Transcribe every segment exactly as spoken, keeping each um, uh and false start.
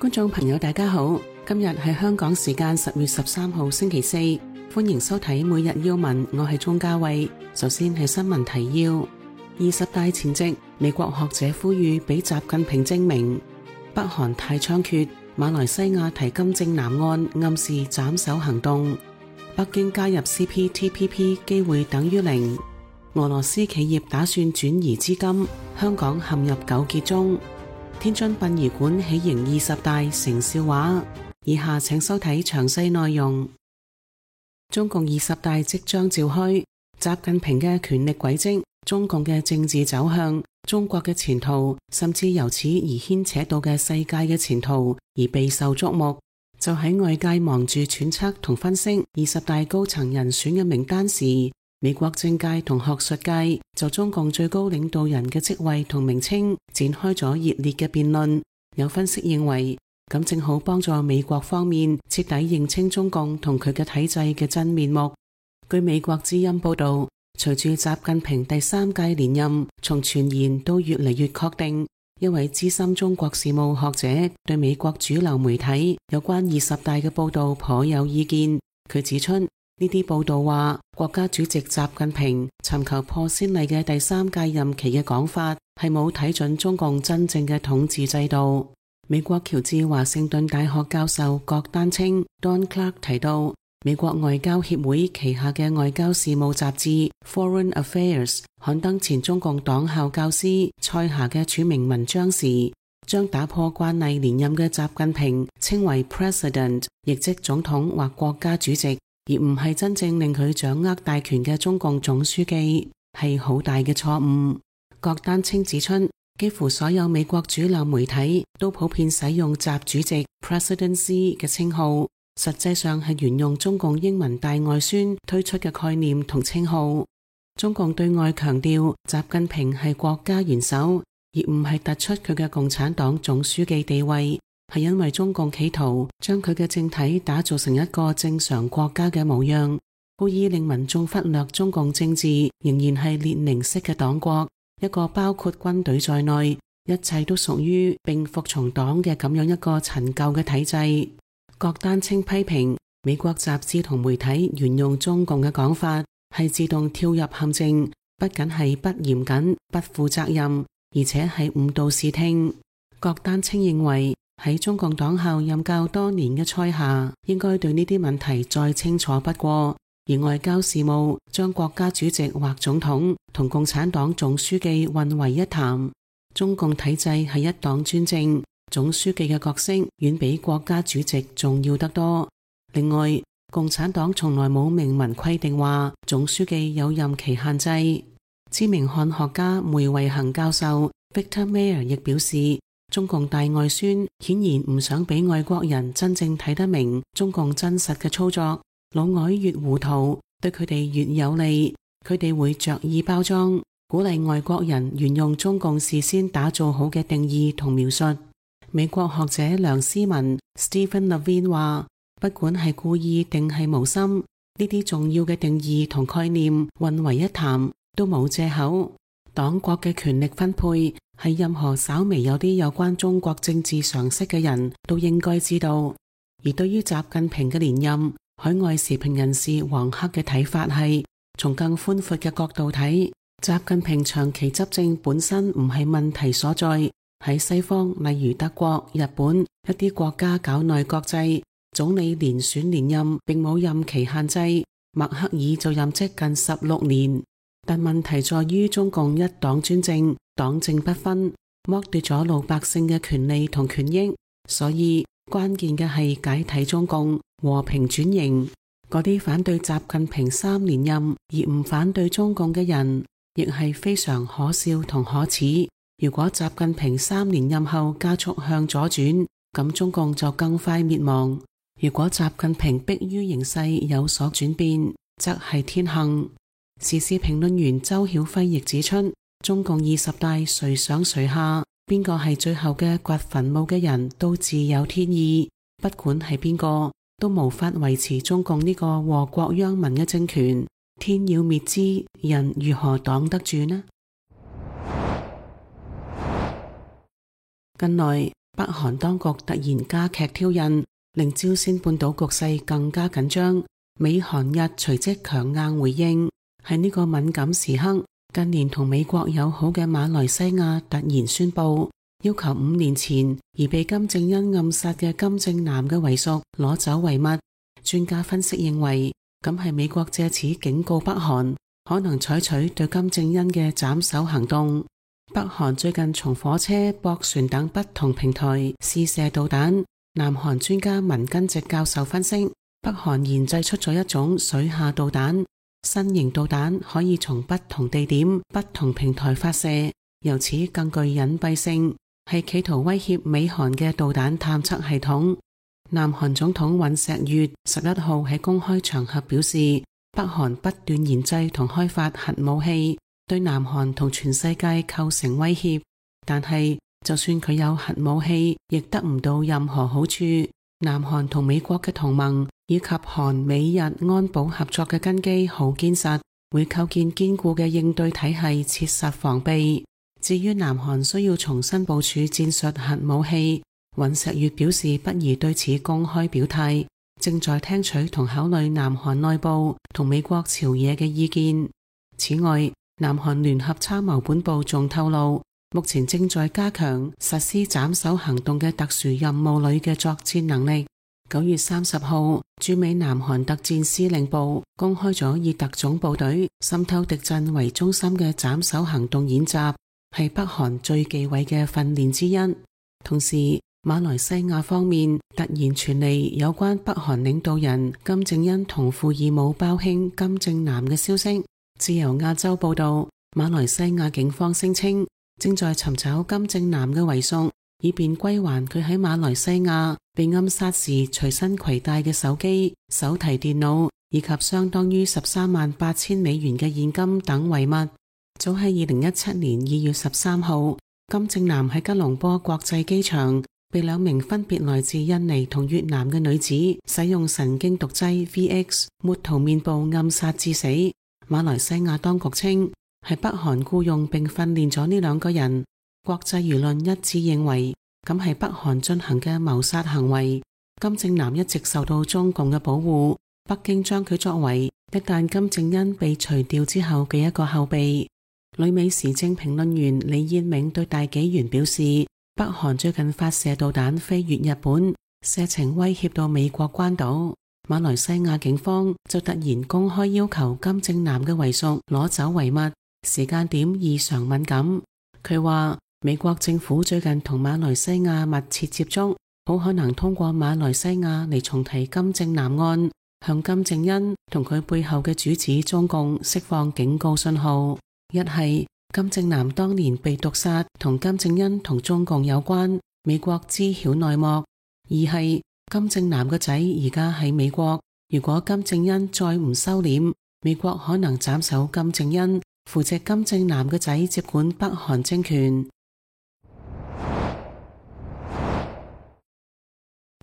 觀眾朋友大家好，今日係香港時間十月十三號星期四，歡迎收睇每日要聞，我係鍾嘉慧。首先係新聞提要：二十大前夕，美國學者呼籲俾習近平證明北韓太猖獗，馬來西亞提金正男案暗示斬首行動，北京加入 C P T P P 機會等於零，俄羅斯企業打算轉移資金，香港陷入糾結中。天津殯儀館喜迎二十大成笑話，以下請收睇詳細內容。中共二十大即將召開，習近平嘅權力軌跡、中共嘅政治走向、中國嘅前途，甚至由此而牽扯到嘅世界嘅前途而備受矚目。就喺外界忙住揣測同分析二十大高層人選嘅名單時，美國政界同學術界就中共最高領導人嘅職位同名稱展開咗熱烈嘅辯論。有分析認為，咁正好幫助美國方面徹底認清中共同佢嘅體制嘅真面目。據美國之音報道，隨住習近平第三屆連任從傳言都越嚟越確定，一位資深中國事務學者對美國主流媒體有關二十大嘅報道頗有意見。佢指出，呢啲報道話國家主席習近平尋求破先例嘅第三屆任期嘅講法係冇睇準中共真正嘅統治制度。美國喬治華盛頓大學教授郭丹青 Don Clark 提到，美國外交協會旗下嘅外交事務雜誌 Foreign Affairs 刊登前中共黨校教師蔡霞嘅署名文章時，將打破慣例連任嘅習近平稱為 President， 亦即總統或國家主席，而唔係真正令佢掌握大權嘅中共總書記，係好大嘅錯誤。郭丹青指出，幾乎所有美國主流媒體都普遍使用習主席 Presidency 嘅稱號，實際上係沿用中共英文大外宣推出嘅概念同稱號。中共對外強調習近平係國家元首，而唔係突出佢嘅共產黨總書記地位，係因為中共企圖將佢嘅政體打造成一個正常國家嘅模樣，故意令民眾忽略中共政治仍然係列寧式嘅黨國，一個包括軍隊在內一切都屬於並服從黨嘅咁樣一個陳舊嘅體制。郭丹青批評美國雜誌同媒體沿用中共嘅講法係自動跳入陷阱，不僅係不嚴謹、不負責任，而且係誤導視聽。郭丹青認為，喺中共黨校任教多年嘅蔡霞應該對呢啲問題再清楚不過，而外交事務將國家主席或總統同共產黨總書記混為一談。中共體制係一黨專政，總書記嘅角色遠比國家主席重要得多。另外，共產黨從來冇明文規定話總書記有任期限制。知名漢學家梅維恒教授 Victor Mayer 亦表示，中共大外宣顯然唔想俾外國人真正睇得明中共真實嘅操作，老外越糊塗，對佢哋越有利，佢哋會着意包裝，鼓勵外國人沿用中共事先打造好嘅定義同描述。美國學者梁思文 Stephen Levine 話，不管係故意定係無心，呢啲重要嘅定義同概念混為一談都冇藉口。黨國嘅權力分配係任何稍微有啲有關中國政治常識嘅人都應該知道。而對於習近平嘅連任，海外時評人士黃克嘅睇法係，從更寬闊嘅角度睇，習近平長期執政本身唔係問題所在。喺西方，例如德國、日本一啲國家搞內閣制，總理連選連任並冇任期限制，默克爾就任職近十六年。但問題在於中共一黨專政，黨政不分，剝奪咗老百姓嘅權利同權益，所以關鍵嘅係解體中共，和平轉型。嗰啲反對習近平三連任而唔反對中共嘅人，亦係非常可笑同可恥。如果習近平三連任後加速向左轉，咁中共就更快滅亡；如果習近平迫於形勢有所轉變，則係天幸。時事評論員周曉輝亦指出，中共二十大誰上誰下，邊個係最後嘅掘墳墓嘅人都自有天意，不管係邊個都無法維持中共呢個禍國殃民嘅政權。天要滅之，人如何擋得住呢？近來北韓當局突然加劇挑釁，令朝鮮半島局勢更加緊張。美韓日隨即強硬回應。喺呢個敏感時刻，近年同美國友好嘅馬來西亞突然宣布，要求五年前而被金正恩暗殺嘅金正男嘅遺屬攞走遺物。專家分析認為，咁係美國借此警告北韓，可能採取對金正恩嘅斬首行動。北韓最近從火車、駁船等不同平台試射導彈。南韓專家文根植教授分析，北韓研製出咗一種水下導彈，新型導彈可以從不同地點、不同平台發射，由此更具隱蔽性，係企圖威脅美韓嘅導彈探測系統。南韓總統尹錫悅十一號喺公開場合表示，北韓不斷研製同開發核武器，對南韓同全世界構成威脅，但係就算佢有核武器，亦得唔到任何好處。南韓同美國嘅同盟以及韓美日安保合作嘅根基好堅實，會構建堅固嘅應對體系，切實防備。至於南韓需要重新部署戰術核武器，尹錫悅表示不宜對此公開表態，正在聽取同考慮南韓內部同美國朝野嘅意見。此外，南韓聯合參謀本部仲透露，目前正在加強實施斬首行動嘅特殊任務旅嘅作戰能力。九月三十號，駐美南韓特戰司令部公開咗以特種部隊滲透敵陣為中心嘅斬首行動演習，係北韓最忌諱嘅訓練之一。同時，馬來西亞方面突然傳嚟有關北韓領導人金正恩同父異母胞兄金正男嘅消息。自由亞洲報道，馬來西亞警方聲稱正在尋找金正男嘅遺屬，以便歸還佢喺馬來西亞被暗殺時隨身攜帶嘅手機、手提電腦以及相當於十三萬八千美元嘅現金等遺物。早喺二零一七年二月十三號，金正男喺吉隆坡國際機場被兩名分別來自印尼同越南嘅女子使用神經毒劑 V X 抹塗面部暗殺致死。馬來西亞當局稱係北韓僱用並訓練咗呢兩個人，國際輿論一致認為咁係北韓進行嘅謀殺行為。金正男一直受到中共嘅保護，北京將佢作為一旦金正恩被除掉之後嘅一個後備。旅美時政評論員李燕明對大紀元表示，北韓最近發射導彈飛越日本，射程威脅到美國關島。馬來西亞警方就突然公開要求金正男嘅遺屬攞走遺物，時間點異常敏感。佢話美國政府最近同馬來西亞密切接觸，好可能通過馬來西亞嚟重提金正男案，向金正恩同佢背後嘅主子中共釋放警告信號。一係金正男當年被毒殺同金正恩同中共有關，美國知曉內幕；二係金正男個仔而家喺美國，如果金正恩再唔收斂，美國可能斬首金正恩，扶植金正男個仔接管北韓政權。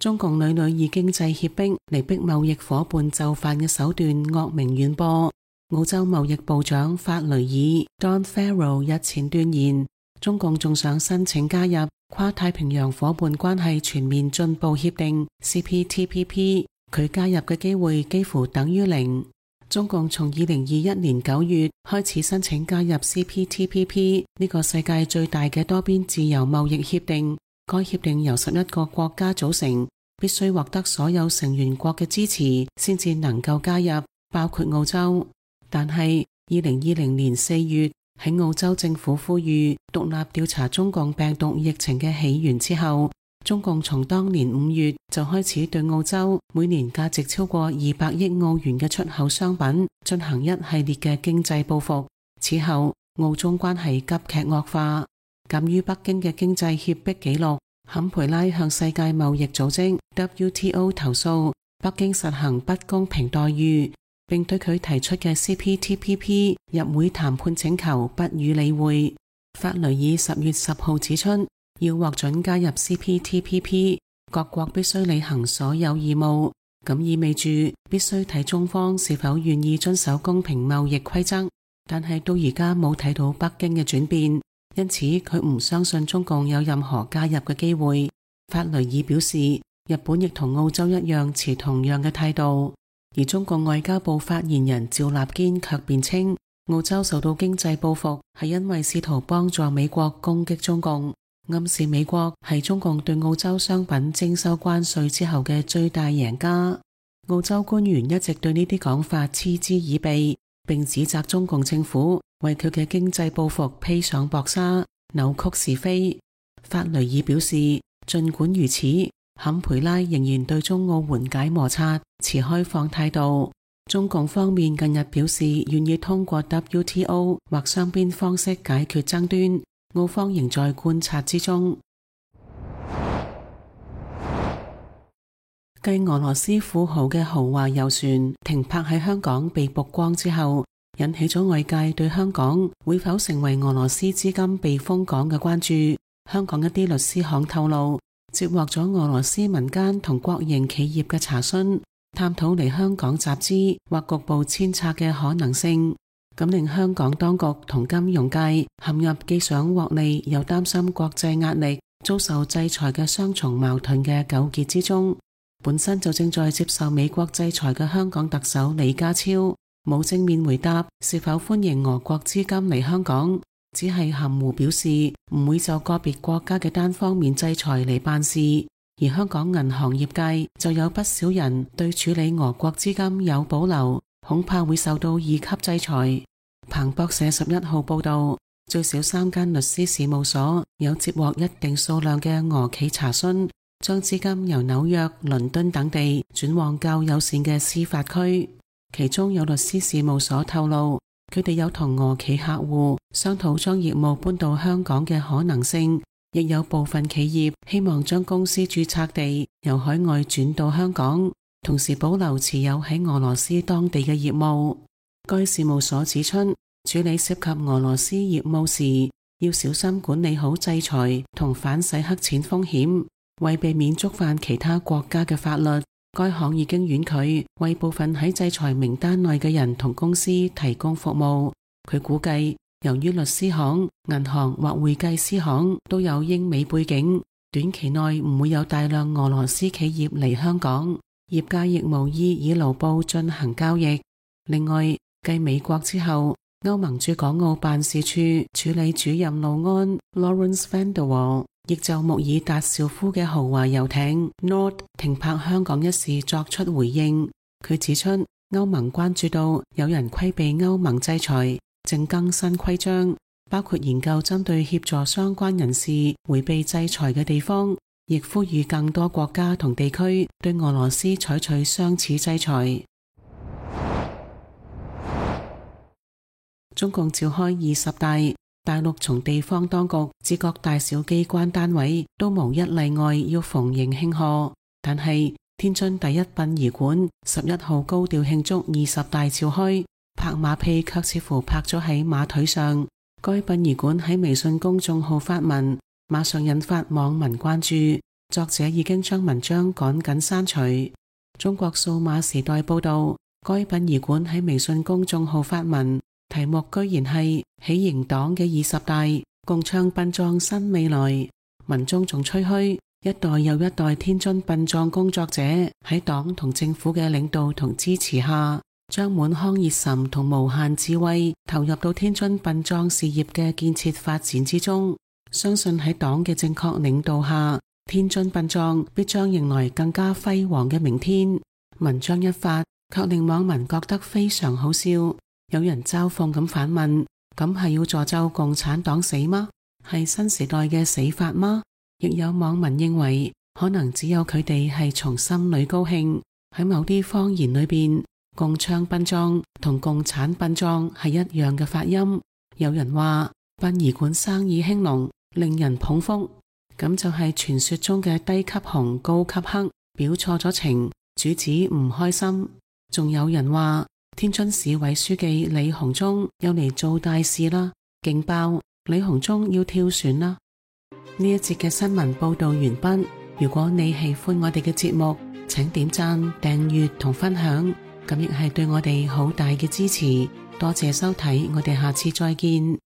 中共屢屢以經濟脅迫嚟逼貿易夥伴就範嘅手段惡名遠播。澳洲貿易部長法雷爾 Don Farrell 日前斷言，中共仲想申請加入跨太平洋夥伴關係全面進步協定 C P T P P， 佢加入嘅機會幾乎等於零。中共從二零二一年九月開始申請加入 C P T P P 呢個世界最大嘅多邊自由貿易協定，該協定由十一個國家組成，必須獲得所有成員國嘅支持先至能夠加入，包括澳洲。但係二零二零年四月，喺澳洲政府呼籲獨立調查中共病毒疫情嘅起源之後，中共從當年五月就開始對澳洲每年價值超過二百億澳元嘅出口商品進行一系列嘅經濟報復。此後，澳中關係急劇惡化。鑒於北京嘅經濟脅迫記錄，坎培拉向世界貿易組織 W T O 投訴北京實行不公平待遇，並對佢提出嘅 C P T P P 入會談判請求不予理會。法雷爾十月十號指出，要獲准加入 C P T P P， 各國必須履行所有義務，咁意味住必須睇中方是否願意遵守公平貿易規則。但係到而家冇睇到北京嘅轉變，因此佢唔相信中共有任何加入嘅機會。法雷爾表示，日本亦同澳洲一樣持同樣嘅態度。而中共外交部發言人趙立堅卻辯稱，澳洲受到經濟報復係因為試圖幫助美國攻擊中共，暗示美國係中共對澳洲商品徵收關稅之後嘅最大贏家。澳洲官員一直對呢啲講法嗤之以鼻，並指責中共政府為佢嘅經濟報復披上薄紗，扭曲是非。法雷爾表示，儘管如此，坎培拉仍然對中澳緩解摩擦持開放態度。中共方面近日表示願意通過 W T O 或雙邊方式解決爭端，澳方仍在觀察之中。繼俄羅斯富豪嘅豪華遊船停泊喺香港被曝光之後，引起咗外界對香港會否成為俄羅斯資金避風港嘅關注。香港一啲律師行透露，接獲咗俄羅斯民間同國營企業嘅查詢，探討嚟香港集資或局部遷冊嘅可能性，咁令香港當局同金融界陷入既想獲利又擔心國際壓力、遭受制裁嘅雙重矛盾嘅糾結之中。本身就正在接受美國制裁嘅香港特首李家超冇正面回答是否歡迎俄國資金嚟香港，只係含糊表示唔會就個別國家嘅單方面制裁嚟辦事。而香港銀行業界就有不少人對處理俄國資金有保留，恐怕會受到二級制裁。彭博社十一號報道，最少三間律師事務所有接獲一定數量嘅俄企查詢，將資金由紐約、倫敦等地轉往較友善嘅司法區。其中有律師事務所透露，佢哋有同俄企客戶商討將業務搬到香港嘅可能性，亦有部分企業希望將公司註冊地由海外轉到香港，同時保留持有喺俄羅斯當地嘅業務。該事務所指出，處理涉及俄羅斯業務時，要小心管理好制裁同反洗黑錢風險。為避免觸犯其他國家嘅法律，該行已經婉拒為部分喺制裁名單內嘅人同公司提供服務。佢估計，由於律師行、銀行或會計師行都有英美背景，短期內唔會有大量俄羅斯企業嚟香港，業界亦無意以盧布進行交易。另外，繼美國之後，歐盟駐港澳辦事處處理主任勞安 Lawrence van der Wal亦就穆爾達紹夫嘅豪華遊艇 Nord 停泊香港一事作出回應。佢指出，歐盟關注到有人規避歐盟制裁，正更新規章，包括研究針對協助相關人士迴避制裁嘅地方，亦呼籲更多國家同地區對俄羅斯採取相似制裁。中共召開二十大，大陸從地方當局至各大小機關單位都無一例外要逢迎慶賀，但係天津第一殯儀館十一號高調慶祝二十大召開，拍馬屁卻似乎拍咗喺馬腿上。該殯儀館喺微信公眾號發文，馬上引發網民關注，作者已經將文章趕緊刪除。中國數碼時代報道，該殯儀館喺微信公眾號發文，題目居然係喜迎黨嘅二十大，共倡殯葬新未來。文中仲吹噓一代又一代天津殯葬工作者喺黨同政府嘅領導同支持下，將滿腔熱忱同無限智慧投入到天津殯葬事業嘅建設發展之中。相信喺黨嘅正確領導下，天津殯葬必將迎來更加輝煌嘅明天。文章一發，卻令網民覺得非常好笑。有人嘲諷咁反問：咁係要詛咒共產黨死嗎？係新時代嘅死法嗎？亦有網民認為，可能只有佢哋係從心裏高興。喺某啲方言裏邊，共倡殯葬同共產殯葬係一樣嘅發音。有人話殯儀館生意興隆，令人捧腹，咁就係傳說中嘅低級紅高級黑，表錯咗情，主子唔開心。仲有人話天津市委書記李鴻忠又嚟做大事啦，勁爆！李鴻忠要跳船啦。呢一節嘅新聞報道完畢。如果你喜歡我哋嘅節目，請點讚、訂閱同分享，咁亦係對我哋好大嘅支持。多謝收睇，我哋下次再見。